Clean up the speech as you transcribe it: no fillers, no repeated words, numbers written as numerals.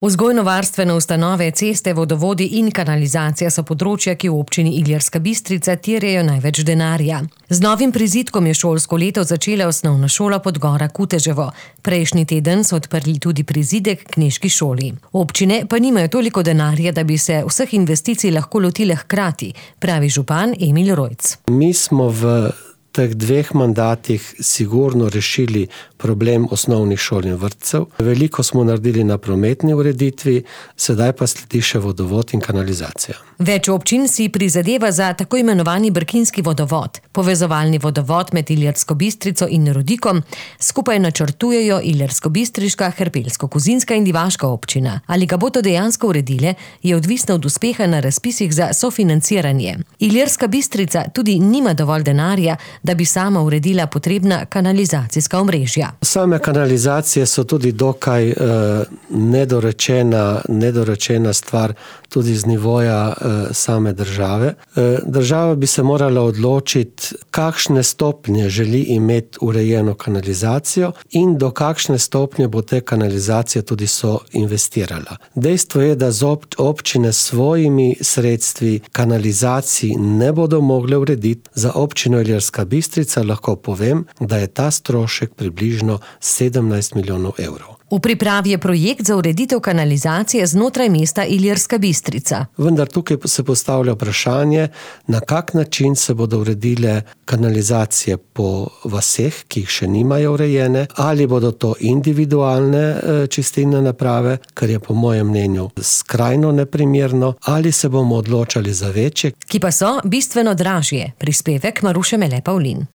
Vzgojno-varstvene ustanove, ceste, vodovodi in kanalizacija so področja, ki v občini Ilirska Bistrica terjajo največ denarja. Z novim prizidkom je šolsko leto začela osnovna šola Podgora Kuteževo. Prejšnji teden so odprli tudi prizidek k knežki šoli. Občine pa nimajo toliko denarja, da bi se vseh investicij lahko lotile hkrati, pravi župan Emil Rojc. Mi smo v teh 2 mandatih sigurno rešili problem osnovnih šol in vrtcev. Veliko smo naredili na prometni ureditvi, sedaj pa sledi še vodovod in kanalizacija. Več občin si prizadeva za tako imenovani brkinski vodovod. Povezovalni vodovod med Ilirsko Bistrico in Rodikom skupaj načrtujejo Ilirsko-bistriška, Hrpelsko-Kozinska in Divaška občina. Ali ga bodo dejansko uredile, je odvisno od uspeha na razpisih za sofinanciranje. Ilirska Bistrica tudi nima dovolj denarja, da bi sama uredila potrebna kanalizacijska omrežja. Same kanalizacije so tudi dokaj nedorečena stvar tudi z nivoja same države. Država bi se morala odločiti, kakšne stopnje želi imeti urejeno kanalizacijo in do kakšne stopnje bo te kanalizacije tudi investirala. Dejstvo je, da občine s svojimi sredstvi kanalizaciji ne bodo mogle urediti. Za občino Ilirska Bistrica lahko povem, da je ta strošek približno 17 milijonov evrov. V pripravi je projekt za ureditev kanalizacije znotraj mesta Ilirska Bistrica. Vendar tukaj se postavlja vprašanje, na kak način se bodo uredile kanalizacije po vaseh, ki jih še nimajo urejene, ali bodo to individualne čistilne naprave, kar je po mojem mnenju skrajno neprimerno, ali se bomo odločali za večje, ki pa so bistveno dražje. Prispevek Maruše Mele Pavlin.